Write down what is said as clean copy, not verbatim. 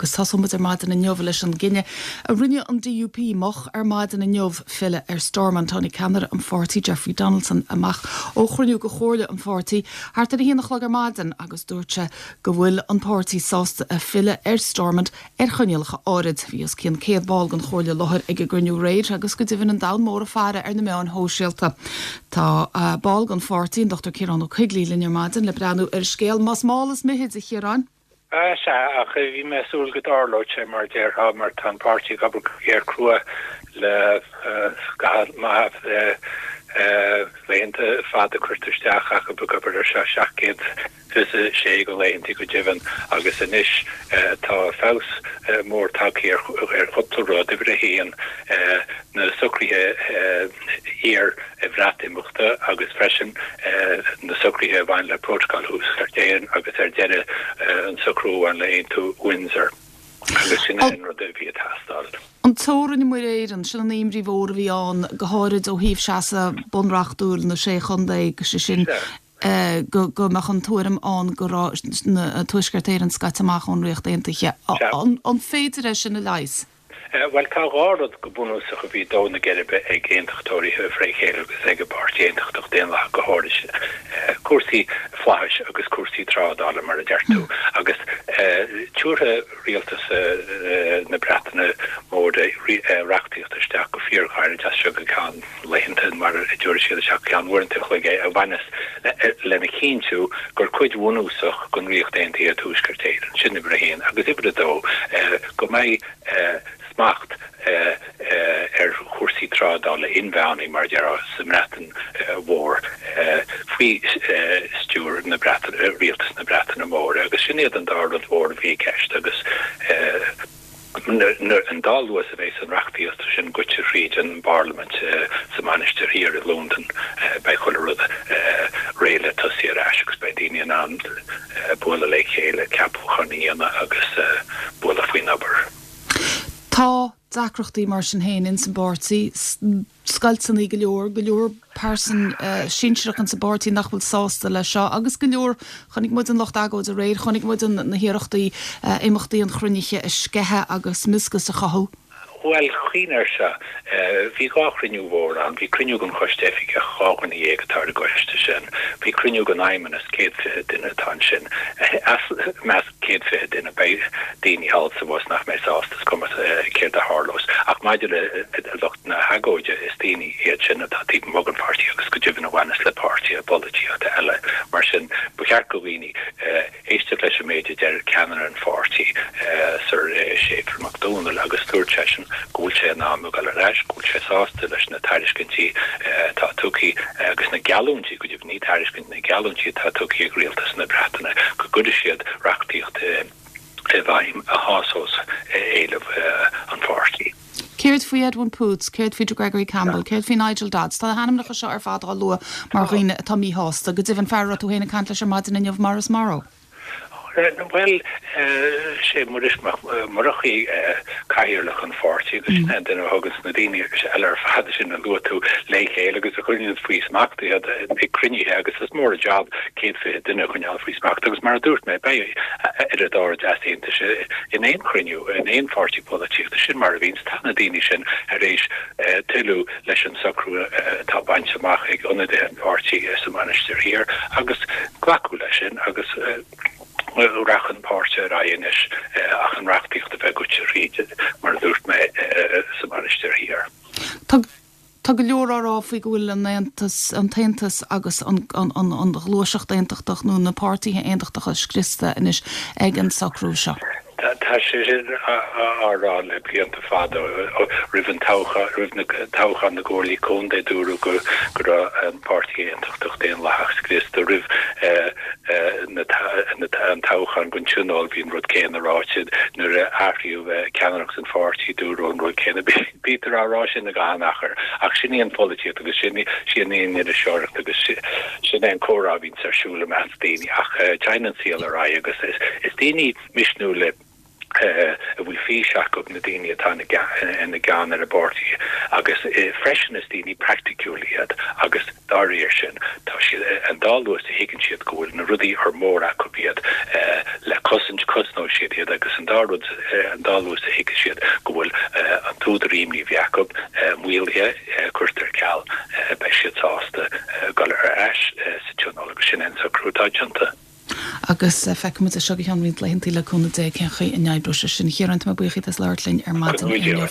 Agus tosóidh muid ar maidin inniu leis an gcinneadh a rinne an DUP moch ar maidin inniu filleadh ar Stormont. Tháinig ceannaire an pháirtí, Jeffrey Donaldson, amach ó chruinniú de chomhairle an pháirtí thart ar a haon a chlog ar maidin agus dúirt sé go bhfuil an páirtí sásta filleadh ar Stormont ar choinníollacha áirid. Bhí os cionn 100 ball den chomhairle i láthair ag an gcruinniú aréir agus go deimhin an domhan mór ag faire ar na meáin shóisialta. Tá ball den pháirtí, an Dr Ciarán Ó Coigligh, linn ar maidin le breathnú ar an scéal. Más mall is mithid, a Chiaráin. Sea, ach bhí mé ag súil go dtarlódh sé, mar a déarfá, mar tá an páirtí ag obair go géar crua le scaitheamh maith laethanta fada curtha isteach acu ag obair ar seo, 726 de laethanta go deimhin, agus anois tá feabhas mór tagtha ar chúpla rud. Uimhir a haon, na socruithe iar-Bhreatimeachta agus freisin na socruithe a bhain le Prótacal Thuaisceart Éireann agus ar deireadh an socrú a bhain le Aontú Windsor. Agus sin é an rud a bhí ag teastáil. An teorainn i Muir Éireann, sin an imní mhór a bhí ann, go háirid ó thaobh seasamh bunreachtúil na Sé Chontae, sé sin, go mbeadh an tuairim ann go raibh Tuaisceart Éireann scaite amach ón Ríocht Aontaithe. An féidir é sin a leigheas? Bhuel, tá dhá rud go bunúsach a bhí ag dó na geirbe ag aontachtóirithe fré chéile agus ag an bPáirtí Aontachtach Daonlathach go háirid, cúrsaí flaithis agus cúrsaí trádála, mar a deir tú. Agus tabharfaidh rialtas na Breataine Móire reachtaíocht isteach go fíorghairid as seo go ceann laethanta, mar a dtabharfaidh siad isteach go ceann uaireanta an chloig é, a bhaineas lena chinntiú gur cuid bhunúsach den Ríocht Aontaithe é Tuaisceart Éireann. Sin uimhir a haon. Agus uimhir a dó, go mbeidh smacht ar chúrsaí trádála inmheánaí, mar a déarfá, sa mBreatain Mhór faoi stiúir na Breataine, Rialtas na Breataine Móire. Agus sin iad an dá rud mhór a bhí i gceist agus an dá luas a bheas an reachtaíocht sin goite thríd an bParlaimint sa Mhainistir Thiar i Londain, beidh chuile rud réidh le tosaí ar ais agus beidh daoine in ann bualadh le chéile, ceapacháin a dhéanamh agus bualadh faoin obair. Tá deacrachtaí mar sin féin ins an bpáirtí, scoilteanna go leor, go leor pearsan sinsearach ins an bpáirtí nach bhfuil sásta leis seo agus go leor, chonaic muid an lucht agóide aréir, chonaic muid na hiarrachtaí imeachtaí an chruinnithe a sceitheadh agus mioscais a chothú. Bhuel, cuimhnigh air seo, bhí dhá chruinniú mhór ann. Bhí cruinniú den Choiste Oifigeach, 12 dhuine atá ar an gcoiste sin. Bhí cruinniú den Fheidhmeannas, 120 duine atá ansin. As measc 120 duine, beidh daoine thall is abhus nach mbeidh sásta, is cuma céard a tharlós. Ach maidir le lucht na hagóide, is daoine iad sin atá taobh amuigh den pháirtí agus go deimhin a bhaineas le páirtithe polaitíochta eile. Mar sin, ba cheart do dhaoine éisteacht leis an méid a deir ceannaire an pháirtí, Sir Séafra Mac Dónaill, agus dúirt seisean go bhfuil sé in am a dhul ar ais, go bhfuil sé sásta leis na tairiscintí atá tugtha agus na geallúintí, go deimhin, ní tairiscint, na geallúintí atá tugtha ag Rialtas na Breataine go gcuirfidh siad reachtaíocht i bhfeidhm a shásós éilimh an pháirtí. Céard faoi Edwin Poots? Céard faoi Gregory Campbell? Céard faoi Nigel Dodds? Tá na hainmneacha seo ar fad á lua mar dhaoine atá míshásta. Go deimhin, fear a raibh tú féin ag caint leis ar maidin inniu, Maurice Morrow. Bhuel, sé Muiris Mac Murchaidh cathaoirleach an pháirtí agus sin é an duine a thuganns na daoine eile ar fad sin a luaigh tú le chéile agus a choinníonns faoi smacht iad ag cruinnithe agus is mór an jab 120 duine a choinneáil faoi smacht agus mar a dúirt mé, beidh oiread áirid easaontais in aon chruinniú, in aon pháirtí polaitíochta. Sin mar a bhíonns. Tá na daoine sin tar éis toiliú leis an socrú atá bainte amach ag ionadaithe an pháirtí sa Mhainistir Thiar agus glacadh leis sin agus rachaidh an páirtí ar aghaidh anois ach an reachtaíocht a bheith goite thríd, mar a dúirt mé, sa Mhainistir Thiar. Tá Tá go leor á rá faoi go bhfuil an Aontas, an tAontas agus an ghluaiseacht aontachtach nó na páirtithe aontachtacha scriosta anois ag an socrú seo. Tá sé sin á rá le blianta fada. Roimh an toghchán, roimh na toghchán na gcomhairlí contae dúradh go raibh an Páirtí Aontachtach Daonlathach scriosta. Roimh an toghchán don Tionól bhí an rud céanna ráite. Nuair a athraíodh ceannaireacht an pháirtí dúradh an rud céanna. Bítear á rá sin ag achan achar, ach sin í an pholaitíocht agus sin í an iriseoireacht agus sin é an comhrá a bhíonns ar siúl i measc daoine. Ach téann an saol ar aghaidh agus is daoine misniúla a bhfuil. fís acu, na daoine atá ina gceann ar an bpáirtí agus freisin is daoine praiticiúla iad agus dá réir sin tá siad, an dá luas a thuigeann siad go bhfuil na rudaí ar mór acu iad le cosaint, cosnóidh siad iad agus an dá rud, an dá luas a thuigfidh siad go bhfuil an t-údar imní a bhí acu maolaithe, curtha ar ceal, beidh siad sásta dul ar ais sa Tionól agus sin é an socrú atá déanta. Agus feicfimid é seo go ceann roinnt laethanta le cúnamh Dé cén chaoi a n-oibreoidh sé sin. A Chiaráin, tá mé buíoch díot as labhairt linn ar maidin inniu.